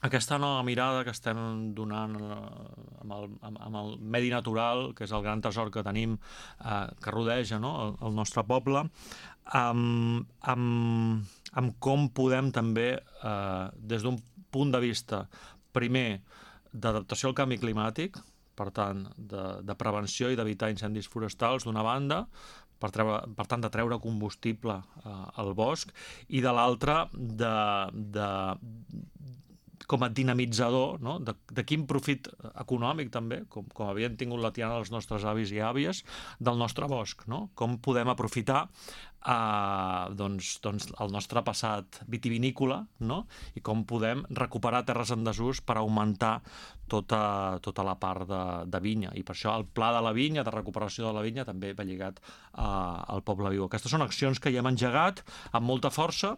aquesta nova mirada que estem donant amb el medi natural, que és el gran tresor que tenim, que rodeja, no? el nostre poble, amb com podem també, des d'un punt de vista, primer, d'adaptació al canvi climàtic, per tant, de prevenció i d'evitar incendis forestals, d'una banda, per tant, de treure combustible al bosc, i de l'altra, com a dinamitzador, no? de quin profit econòmic també, com havien tingut la tiana els nostres avis i àvies, del nostre bosc, no? Com podem aprofitar el nostre passat vitivinícola, no? I com podem recuperar terres en desús per augmentar tota la part de vinya. I per això el pla de la vinya, de recuperació de la vinya, també va lligat al Poble Viu. Aquestes són accions que ja hem engegat amb molta força